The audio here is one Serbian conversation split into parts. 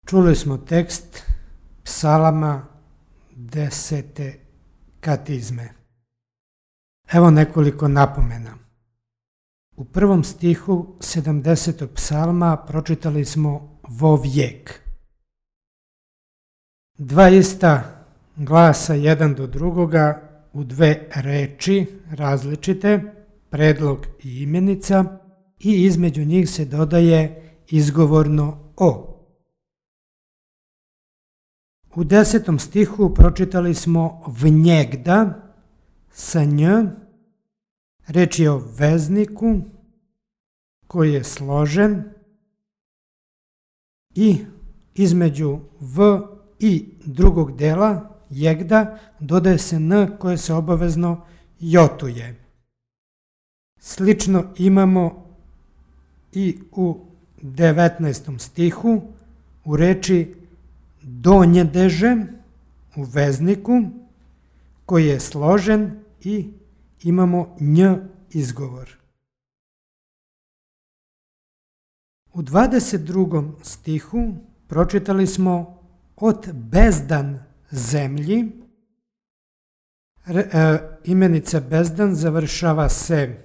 Čuli smo tekst psalama 10. katizme. Evo nekoliko napomena. U prvom stihu 70. psalma pročitali smo vovijek. Dva ista glasa jedan do drugoga u dve reči različite, predlog i imenica, i između njih se dodaje izgovorno o. U 10. stihu pročitali smo vnjegda sa nj, reč je o vezniku koji je složen i između v i drugog dela jegda dodaje se n koje se obavezno jotuje. Slično imamo i u 19. stihu u reči donjedeže u vezniku koji je složen i imamo nj izgovor. U 22. stihu pročitali smo od bezdan zemlji. Imenica bezdan završava se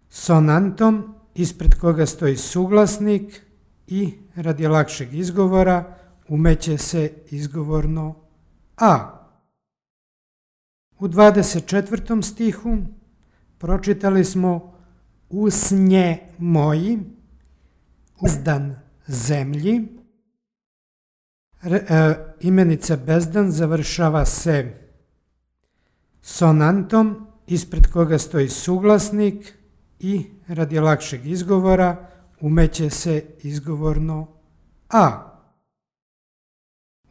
sonantom ispred koga stoji suglasnik i radi lakšeg izgovora umeće se izgovorno a. U 24. stihu pročitali smo usnje moji, bezdan zemlji. Imenica bezdan završava se sonantom ispred koga stoji suglasnik i radi lakšeg izgovora umeće se izgovorno a.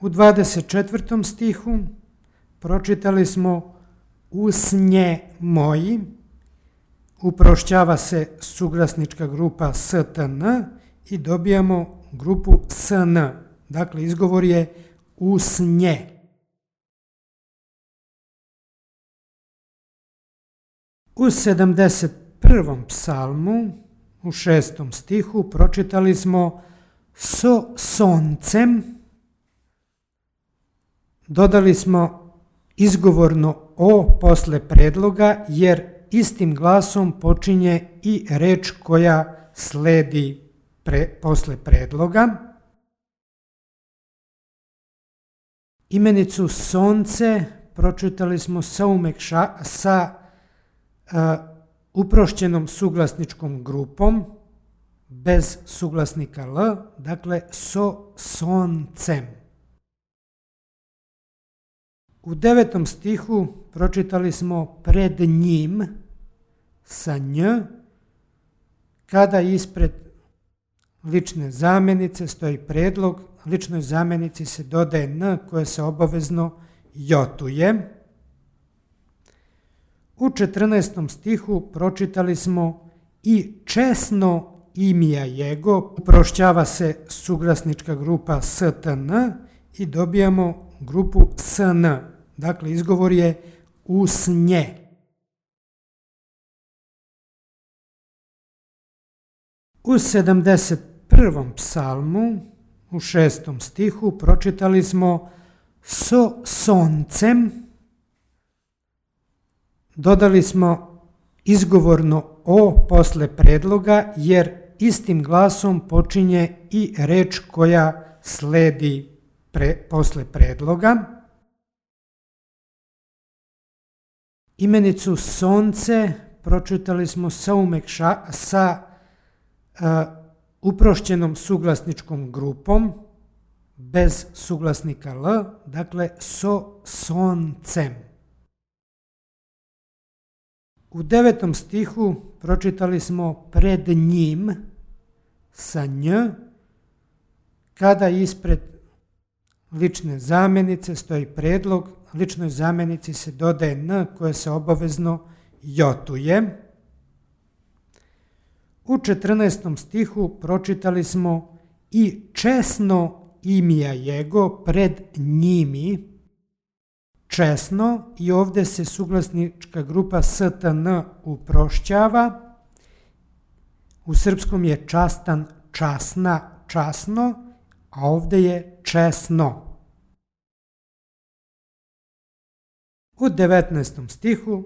U 24. stihu pročitali smo usnje moji, uprošćava se suglasnička grupa stn i dobijamo grupu sn. Dakle, izgovor je usnje. U 71. psalmu, u 6. stihu, pročitali smo so soncem, dodali smo izgovorno o posle predloga, jer istim glasom počinje i reč koja sledi posle predloga. Imenicu sonce pročitali smo sa uprošćenom suglasničkom grupom, bez suglasnika l, dakle so soncem. U 9. stihu pročitali smo pred njim sa nj, kada ispred lične zamjenice stoji predlog, ličnoj zamjenici se dodaje n koje se obavezno jotuje. U 14. stihu pročitali smo i česno imija jego, uprošćava se suglasnička grupa stn i dobijamo grupu sn. Dakle, izgovor je usnje. U 71. psalmu, u 6. stihu, pročitali smo so soncem, dodali smo izgovorno o posle predloga, jer istim glasom počinje i reč koja sledi posle predloga. Imenicu sonce pročitali smo sa uprošćenom suglasničkom grupom, bez suglasnika l, dakle so soncem. U 9. stihu pročitali smo pred njim sa nj, kada ispred lične zamjenice stoji predlog, ličnoj zamjenici se dodaje n koje se obavezno jotuje. U 14. stihu pročitali smo i česno imija jego pred njimi, česno, i ovdje se suglasnička grupa stn uprošćava. U srpskom je častan, časna, časno, a ovdje je česno. U 19. stihu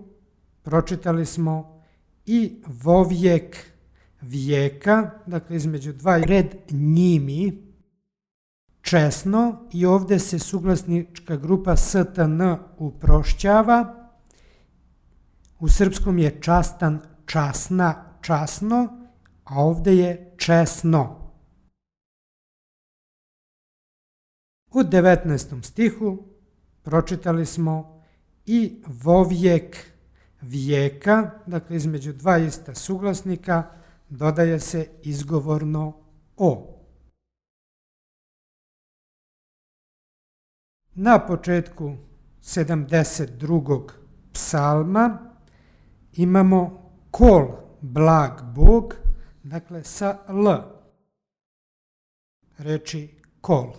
pročitali smo i vovijek vijeka, dakle između dva red njimi, česno, i ovdje se suglasnička grupa stn uprošćava. U srpskom je častan, časna, časno, a ovdje je česno. U 19. stihu pročitali smo i vovijek vijeka, dakle između dva ista suglasnika dodaje se izgovorno o. Na početku 72. psalma imamo kol blag Bog, dakle sa l, reči kol.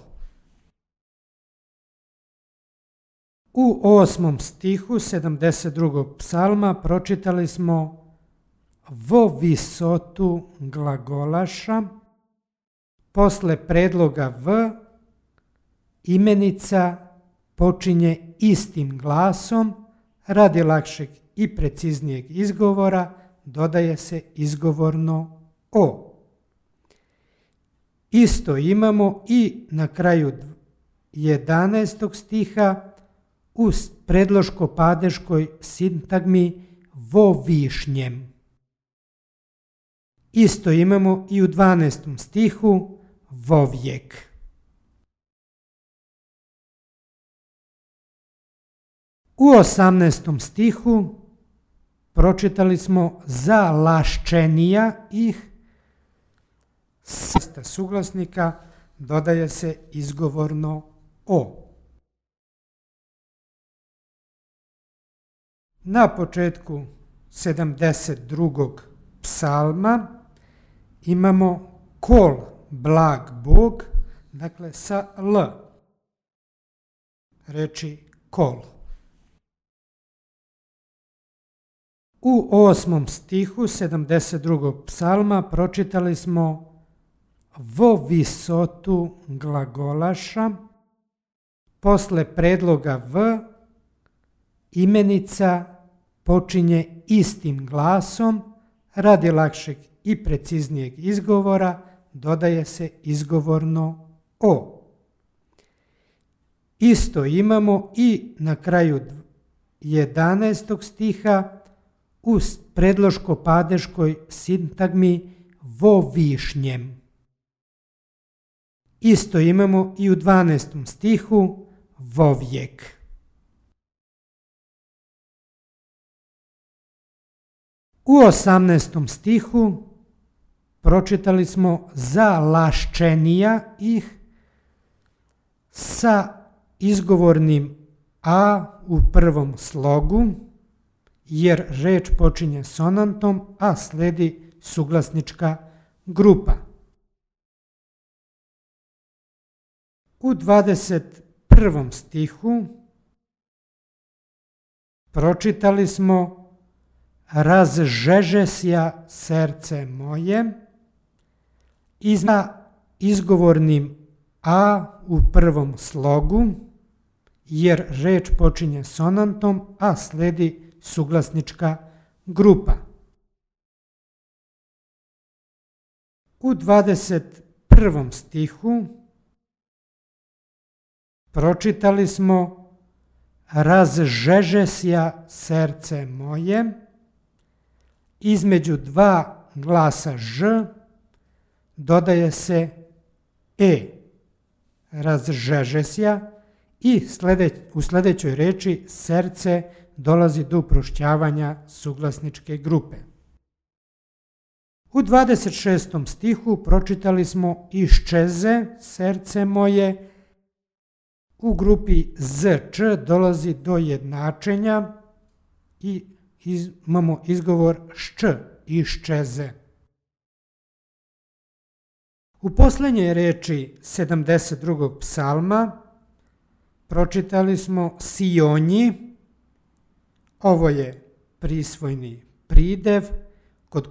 U 8. stihu 72. psalma pročitali smo vo visotu glagolaša, posle predloga v imenica počinje istim glasom, radi lakšeg i preciznijeg izgovora dodaje se izgovorno o. Isto imamo i na kraju 11. stiha u predloško-padeškoj sintagmi vo višnjem. Isto imamo i u 12. stihu vovijek. U 18. stihu pročitali smo za laščenija ih, sa suglasnika dodaje se izgovorno o. Na početku 72. psalma imamo kol blag Bog, dakle sa l, reči kol. U 8. stihu 72. psalma pročitali smo vo visotu glagolaša, posle predloga v imenica počinje istim glasom, radi lakšeg i preciznijeg izgovora dodaje se izgovorno o. Isto imamo i na kraju 11. stiha u predloško-padeškoj sintagmi vo višnjem. Isto imamo i u 12. stihu vovijek. U 18. stihu pročitali smo za laščenija ih sa izgovornim a u prvom slogu, jer reč počinje sonantom, a sledi suglasnička grupa. U 21. stihu pročitali smo razžežesja srce moje i za izgovornim a u prvom slogu, jer reč počinje sonantom, a sledi suglasnička grupa. U 21. stihu pročitali smo razžežesja srce moje, između dva glasa ž dodaje se e, razžežesja, i u sljedećoj reči srce dolazi do uprošćavanja suglasničke grupe. U 26. stihu pročitali smo iščeze srce moje, u grupi zč dolazi do jednačenja i imamo izgovor šč, iščeze. U posljednjoj reči 72. psalma pročitali smo sionji, ovo je prisvojni pridev kod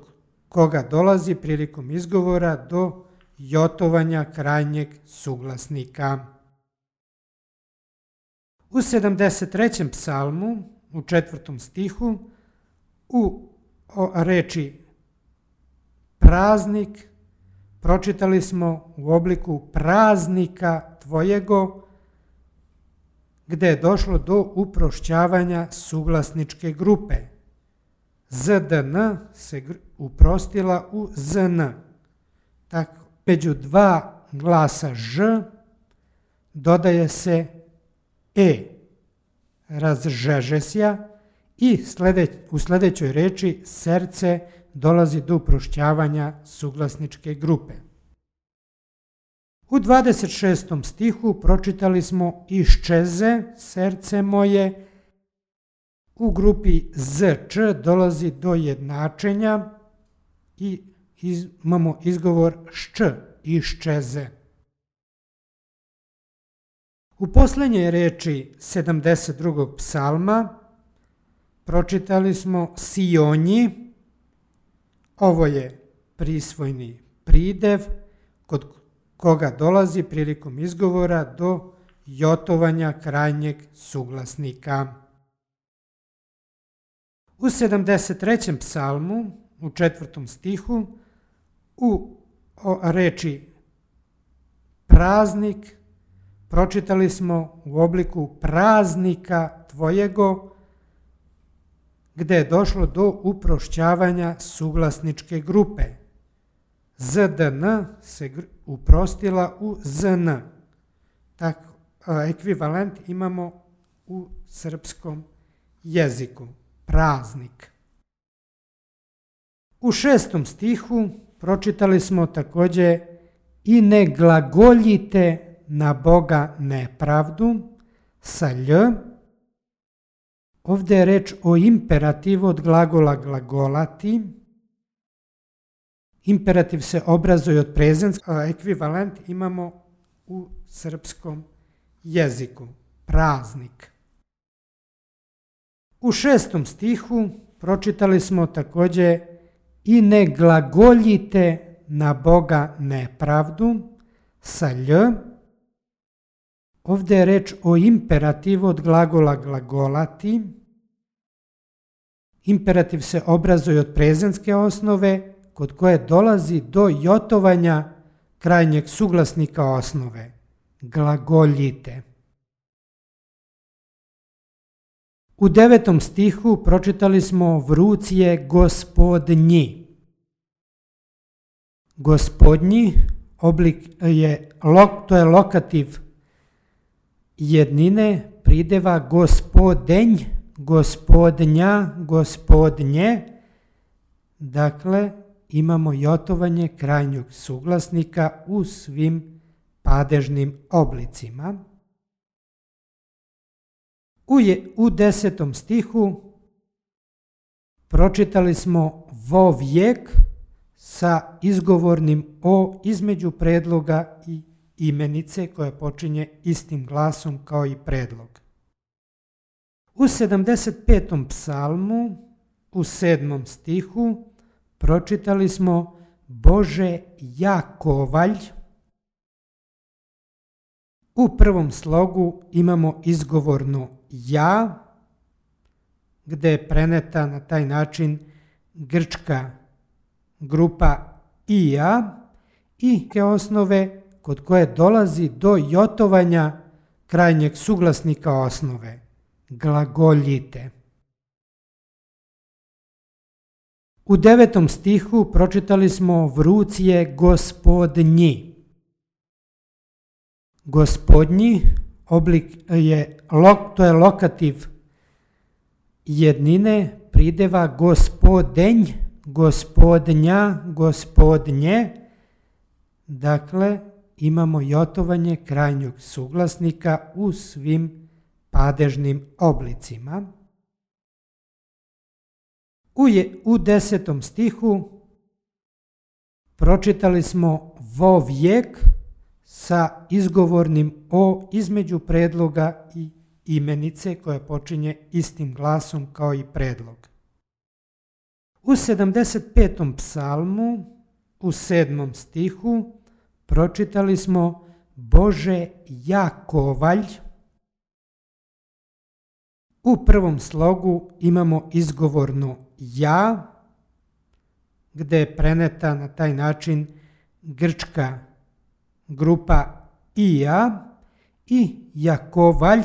koga dolazi prilikom izgovora do jotovanja krajnjeg suglasnika. U 73. psalmu, u 4. stihu, u reči praznik pročitali smo u obliku praznika tvojego, gde je došlo do uprošćavanja suglasničke grupe. ZDN se uprostila u ZN. Tako, među dva glasa Ž dodaje se E. Razžežesja i u sljedećoj reči srce dolazi do uprošćavanja suglasničke grupe. U 26. stihu pročitali smo iščeze srce moje. U grupi ZČ dolazi do jednačenja i imamo izgovor šč, iščeze. U posljednjoj reči 72. psalma pročitali smo sionji. Ovo je prisvojni pridev kod koga dolazi prilikom izgovora do jotovanja krajnjeg suglasnika. U 73. psalmu, u 4. stihu, u reči praznik pročitali smo u obliku praznika tvojego, gde je došlo do uprošćavanja suglasničke grupe. ZDN se uprostila u ZN. Tako, ekvivalent imamo u srpskom jeziku. Praznik. U 6. stihu pročitali smo također i ne glagoljite na Boga nepravdu sa lj. Ovdje je reč o imperativu od glagola glagolati. Imperativ se obrazuje od prezenskog, ekvivalent imamo u srpskom jeziku. Praznik. U 6. stihu pročitali smo također i ne glagoljite na Boga nepravdu sa lj. Ovdje je reč o imperativu od glagola glagolati. Imperativ se obrazuje od prezenske osnove kod koje dolazi do jotovanja krajnjeg suglasnika osnove. Glagoljite. U 9. stihu pročitali smo vruć je gospodnji. Gospodnji oblik je, to je lokativ jednine prideva gospodenj, gospodnja, gospodnje. Dakle, imamo jotovanje krajnjeg suglasnika u svim padežnim oblicima. U 10. stihu pročitali smo vovijek sa izgovornim o između predloga i imenice koja počinje istim glasom kao i predlog. U 75. psalmu u 7. stihu pročitali smo Bože Jakovalj. U prvom slogu imamo izgovorno ja, gdje je preneta na taj način grčka grupa ija i te osnove kod koje dolazi do jotovanja krajnjeg suglasnika osnove. Glagoljite. U 9. stihu pročitali smo vruć je gospodnji. Gospodnji oblik je, to je lokativ jednine prideva gospodenj, gospodnja, gospodnje. Dakle, imamo jotovanje krajnjeg suglasnika u svim padežnim oblicima. U 10. stihu pročitali smo vovijek sa izgovornim o između predloga i imenice koja počinje istim glasom kao i predlog. U 75. psalmu u 7. stihu pročitali smo Bože Jakovalj. U prvom slogu imamo izgovorno ja, gde je preneta na taj način grčka grupa ija, i Jakovalj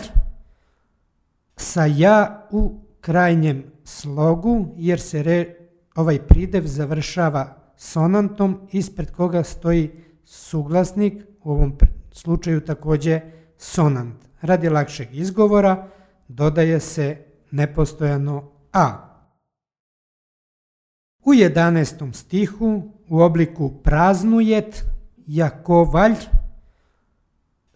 sa ja u krajnjem slogu, jer se ovaj pridev završava sonantom ispred koga stoji suglasnik, u ovom slučaju također sonant. Radi lakšeg izgovora dodaje se nepostojano a. U 11. stihu u obliku praznujet Jakovalj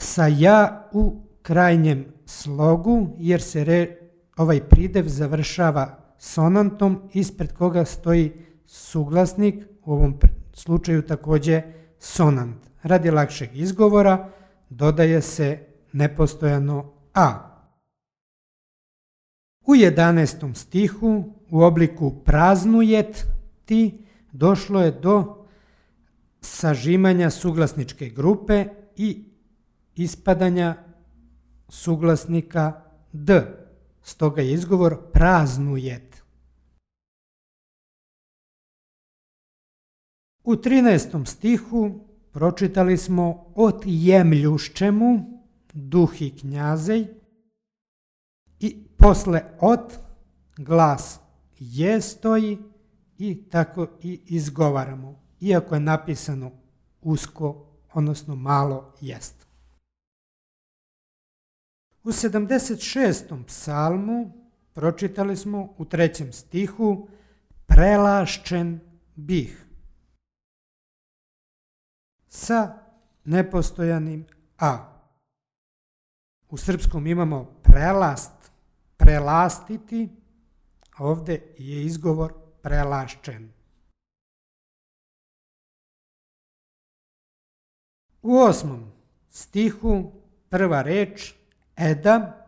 sa ja u krajnjem slogu, jer se ovaj pridev završava sonantom ispred koga stoji suglasnik, u ovom slučaju također sonant. Radi lakšeg izgovora dodaje se nepostojano a. U 11. stihu u obliku praznujet ti došlo je do sažimanja suglasničke grupe i ispadanja suglasnika d. Stoga je izgovor praznujet. U 13. stihu pročitali smo otjemljuščemu duhi knjazej i posle od glas je stoji i tako i izgovaramo, iako je napisano usko, odnosno malo jest. U 76. psalmu pročitali smo u 3. stihu prelašćen bih sa nepostojanim a. U srpskom imamo prelast, prelastiti, a ovdje je izgovor prelašćen. U 8. stihu prva reč eda,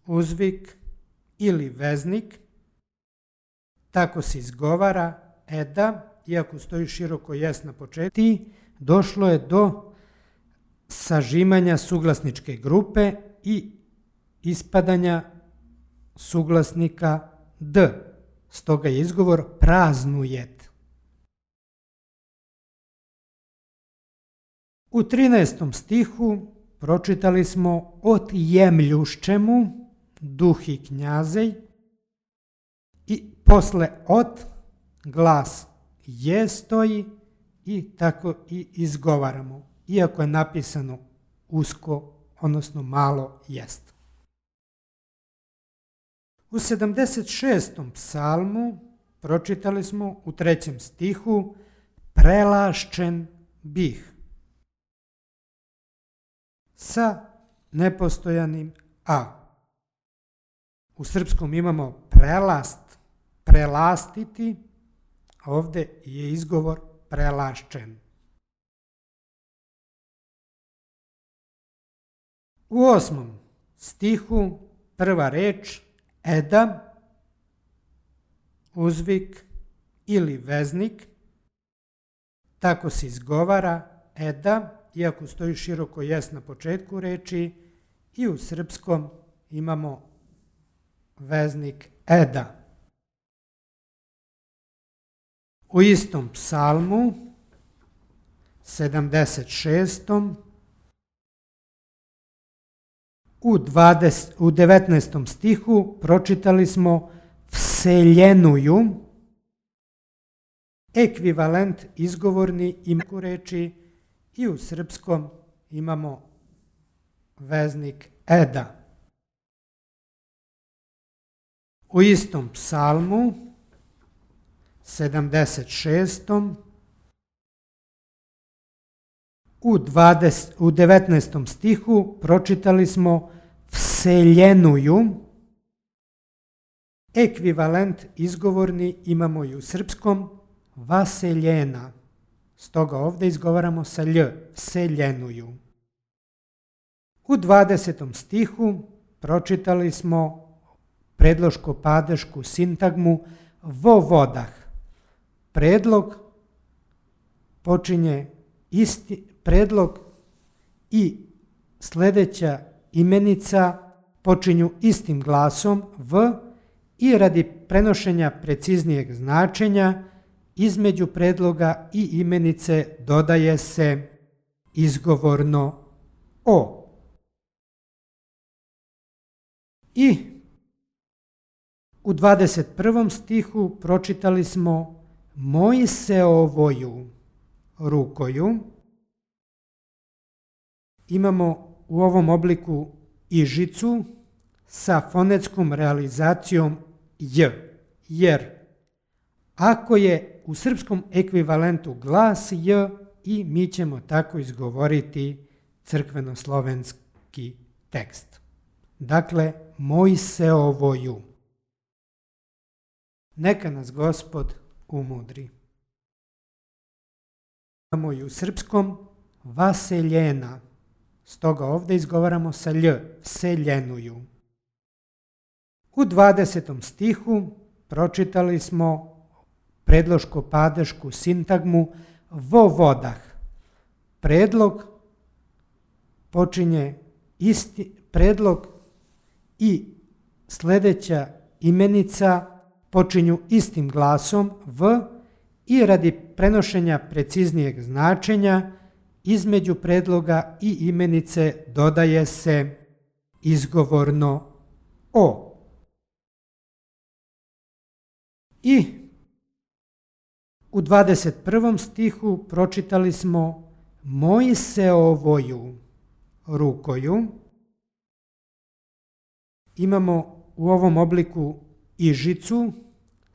uzvik ili veznik, tako se izgovara eda, iako stoji široko jest na početku, došlo je do sažimanja suglasničke grupe i ispadanja suglasnika d. Stoga je izgovor praznujet. U 13. stihu pročitali smo otjemljuščemu duhi knjazej i posle od glas je stoji i tako i izgovaramo, iako je napisano usko, odnosno malo jest. U 76. psalmu pročitali smo u 3. stihu prelašćen bih sa nepostojanim a. U srpskom imamo prelast, prelastiti, a ovdje je izgovor prelašćen. U 8. stihu prva reč eda, uzvik ili veznik, tako se izgovara eda, iako stoji široko jest na početku reči, i u srpskom imamo veznik eda. U istom psalmu, 76. u 19. stihu pročitali smo vseljenuju, ekvivalent izgovorni imaku reči, i u srpskom imamo veznik eda. U istom psalmu, 76. u 19. stihu pročitali smo vseljenuju, ekvivalent izgovorni imamo i u srpskom vaseljena. Stoga ovdje izgovaramo sa lj, vseljenuju. U 20. stihu pročitali smo predloško-padešku sintagmu vo vodah. Predlog počinje predlog i sljedeća imenica počinju istim glasom v i radi prenošenja preciznijeg značenja između predloga i imenice dodaje se izgovorno o. I u 21. stihu pročitali smo Mojseovoju rukoju. Imamo u ovom obliku ižicu sa fonetskom realizacijom j, jer ako je u srpskom ekvivalentu glas j i mi ćemo tako izgovoriti crkveno-slovenski tekst. Dakle, Mojseovoju. Neka nas Gospod umudri. Imamo i u srpskom vaseljena. Stoga ovdje izgovaramo sa lj, vseljenuju. U 20. stihu pročitali smo predloško-padešku sintagmu vo vodah. Predlog počinje predlog i sljedeća imenica počinju istim glasom v i radi prenošenja preciznijeg značenja između predloga i imenice dodaje se izgovorno o. I u 21. stihu pročitali smo Mojseovoju rukoju. Imamo u ovom obliku ižicu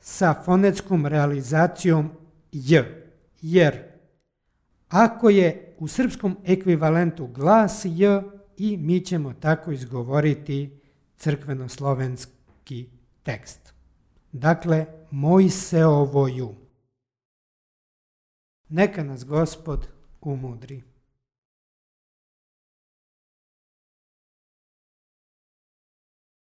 sa fonetskom realizacijom j, jer ako je u srpskom ekvivalentu glas j i mi ćemo tako izgovoriti crkveno-slovenski tekst. Dakle, Mojseovoju. Neka nas Gospod umudri.